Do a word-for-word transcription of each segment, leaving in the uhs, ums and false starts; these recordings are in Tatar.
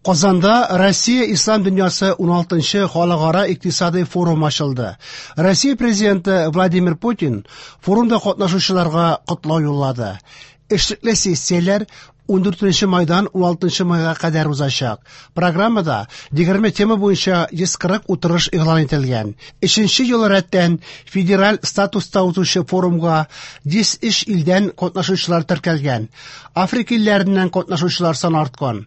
Казанда Россия Ислам дөньясы уналтынчы халыкара икътисадый форум ачылды. Россия президенты Владимир Путин форумда катнашучыларга котлау юллады. Эшлекле сессияләр ундүртенче майдан уналтынчы майга кадәр узачак. Программада егерме тема буенча йөз кырык утырыш игълан ителгән. Өченче ел рәттән федераль статуста узучы форумга йөз өч илдән катнашучылар теркәлгән. Африка илләреннән катнашучылар саны арткан.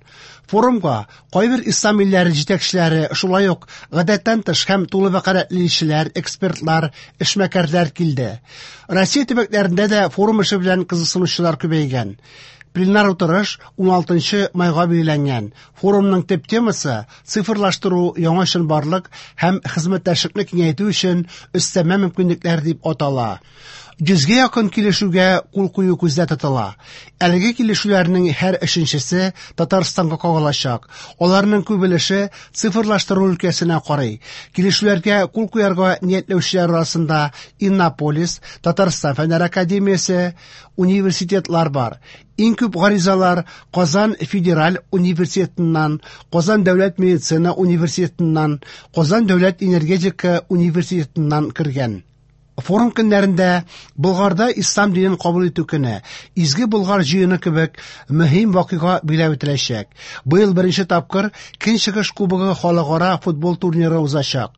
Форумга кайбер ислам илләре җитәкчеләре, шулай ук гадәттән тыш һәм тулы вәкаләтле илчеләр, экспертлар, эшмәкәрләр килде. Россия төбәкләрендә дә форум эше белән кызыксынучылар күбәйгән. Пленар утырыш уналтынчы майга билгеләнгән. Форумның төп темасы цифрлаштыру, яңа чынбарлык һәм хезмәттәшлекне киңәйтү өчен өстәмә мөмкинлекләр дип атала. Йөзгә якын килешүгә кул кую күздә тотыла. Әлеге килешүләрнең һәр өченчесе Татарстанга кагылачак. Аларның күп өлеше цифрлаштыру өлкәсенә карый. Килешүләргә кул куярга ниятләүчеләр арасында Иннополис, Татарстан Фәннәр академиясе, университетлар бар. Иң күп гаризалар Казан федераль университетыннан, Казан дәүләт медицина университетыннан, Казан дәүләт энергетика университетыннан кергән. Форум көннәрендә Болгарда ислам динен кабул итү көне, Изге Болгар җыены кебек мөһим вакыйга билгеләп үтеләчәк. Быел беренче тапкыр Көнчыгыш кубогы халыкара футбол турниры узачак.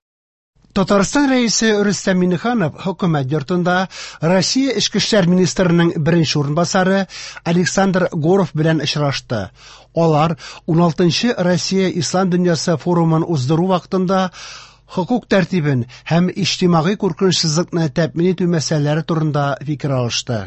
Татарстан Рәисе Рөстәм Миңнеханов хөкүмәт йортында Россия Эчке эшләр министрының беренче урынбасары Александр Горов белән очрашты. Алар уналтынчы Россия Ислам дөньясы форумын уздыру вакытында хокук тәртибен һәм иҗтимагый куркынычсызлыкны тәэмин итү мәсьәләләре турында фикер алышты.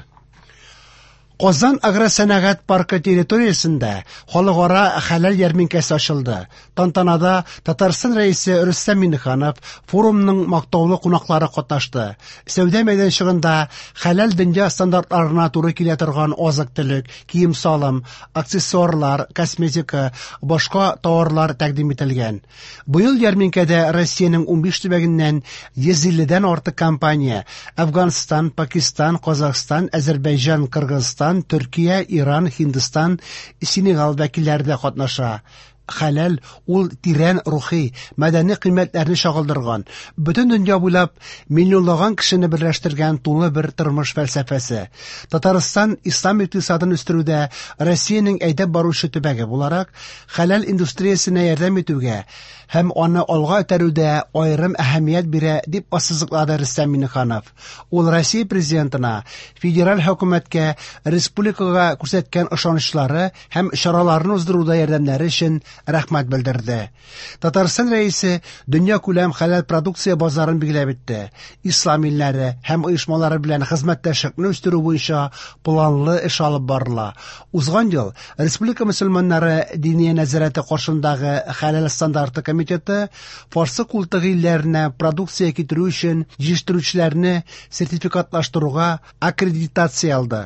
Казан агросәнәгать паркы территориясендә халыкара хәләл ярминкәсе ачылды. Тантанада Татарстан Рәисе Рөстәм Миңнеханов, форумның мактаулы кунаклары катнашты. Сәүдә мәйданчыгында хәләл дөнья стандартларына туры килә торган азык-төлек, кием-салым, аксессуарлар, косметика, башка товарлар тәкъдим ителгән. Быел ярминкәдә Россиянең унбиш төбәгеннән йөз илледән артык компания Әфганстан, Пакистан, Казахстан, Әзербайҗан, Кыргызстан, Төркия, Иран, Һиндстан, Сенегал вәкилләре дә катнаша. Хәләл ул тирән рухи, мәдәни кыйммәтләрне чагылдырган, бөтен дөнья буйлап миллионлаган кешене берләштергән тулы бер тормыш фәлсәфәсе. Татарстан ислам икътисадын үстерүдә Россиянең әйдәп баручы төбәге буларак, хәләл индустриясенә ярдәм итүгә һәм аны алга этәрүдә аерым әһәмият бирә, дип ассызыклады Рөстәм Миңнеханов. Ул Россия президентына, федераль хөкүмәткә республикага күрсәткән ышанычлары һәм чараларны уздыруда ярдәмнәре өчен рәхмәт белдерде. Татарстан Рәисе дөнья күләм хәләл продукция базарын билгеләп үтте. Ислам илләре һәм оешмалары белән хезмәттәшлекне үстерү буенча планлы эш алып барыла. Узган ел Республика мөселманнары диния нәзарәте каршындагы хәләл стандарты комитеты Фарсы култыгы илләренә продукция китерү өчен җитештерүчеләрне сертификатлаштыруга аккредитация алды.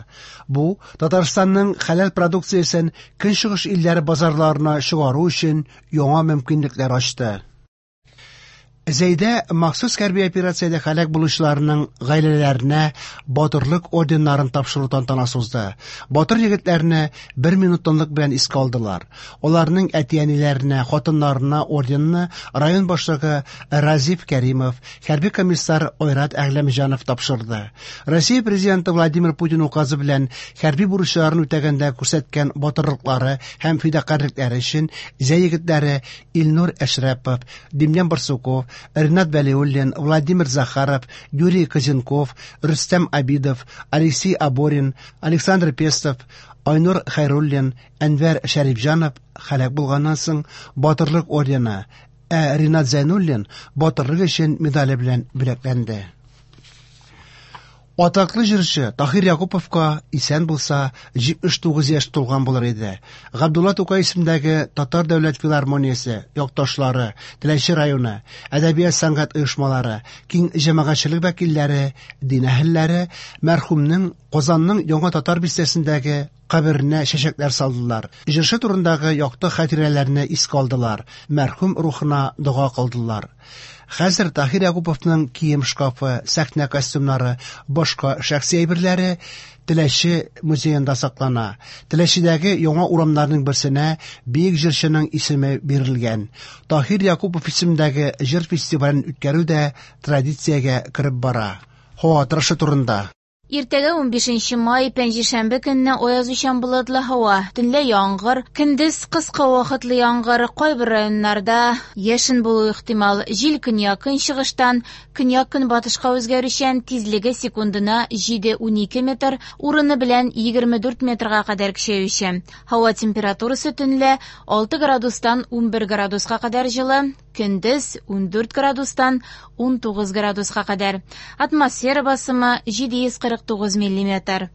Бу Татарстанның хәләл продукциясен Көнчыгыш илләре базарларына чыгару өчен яңа мөмкинлекләр ачты. Зәйдә махсус хәрби операциядә һәлак булучыларның гаиләләренә батырлык орденнарын тапшыру тантанасы узды. Батыр егетләрне бер минут тынлык белән искә алдылар. Аларның әти-әниләренә, хатыннарына орденны район башлыгы Разиф Кәримов, хәрби комиссар Айрат Әгъләмҗанов тапшырды. Россия президенты Владимир Путин указы белән хәрби бурычларын үтәгәндә күрсәткән батырлыклары һәм фидакарьлекләре өчен Зәй егетләре Илнур Әшрәпов, Демьян Барсуков, Ренат Вәлиуллин, Владимир Захаров, Юрий Козенков, Рөстәм Абидов, Алексей Аборин, Александр Пестов, Айнур Хайруллин, Әнвәр Шәрипҗанов һәлак булганнан соң Батырлык ордены, ә Ренат Зәйнуллин Батырлык өчен медале белән бүләкләнде. Атаклы җырчы Таһир Якуповка исән булса җитмеш тугыз яшь тулган булыр иде. Габдулла Тукай исемендәге Татар дәүләт филармониясе, якташлары, Теләче районы, әдәбият сәнгать оешмалары, киң җәмәгатьчелек вәкилләре, дин әһелләре мәрхүмнең Казанның Яңа Татар бистәсендәге каберенә чәчәкләр салдылар. Җырчы турындагы якты хатирәләрне искә алдылар, мәрхүм рухына дога кылдылар. Хәзер Таһир Якуповның кием шкафы, сәхнә костюмнары, башка шәхси әйберләре Теләче музеенда саклана. Теләчедәге яңа урамнарның берсенә бөек җырчының исеме бирелгән. Таһир Якупов исемендәге җыр фестивален үткәрү дә традициягә кереп бара. Һава торышы турында. Иртәгә унбишенче май, пәнҗешәмбе көнне аязучан болытлы һава, төнлә яңгыр, көндез кыска вакытлы яңгыр, кайбер районнарда яшен булу ихтимал. Җил көньяк-көнчыгыштан көньяк-көнбатышка үзгәрүчән, тизлеге секундына җиде унике метр, урыны белән егерме дүрт метрга кадәр көчәюче. Һава температурасы төнлә алты градустан унбер градуска кадәр җылы, көндез ундүрт градустан унтугыз градуска кадәр. Атмосфера басымы җиде йөз кырык тугыз миллиметр.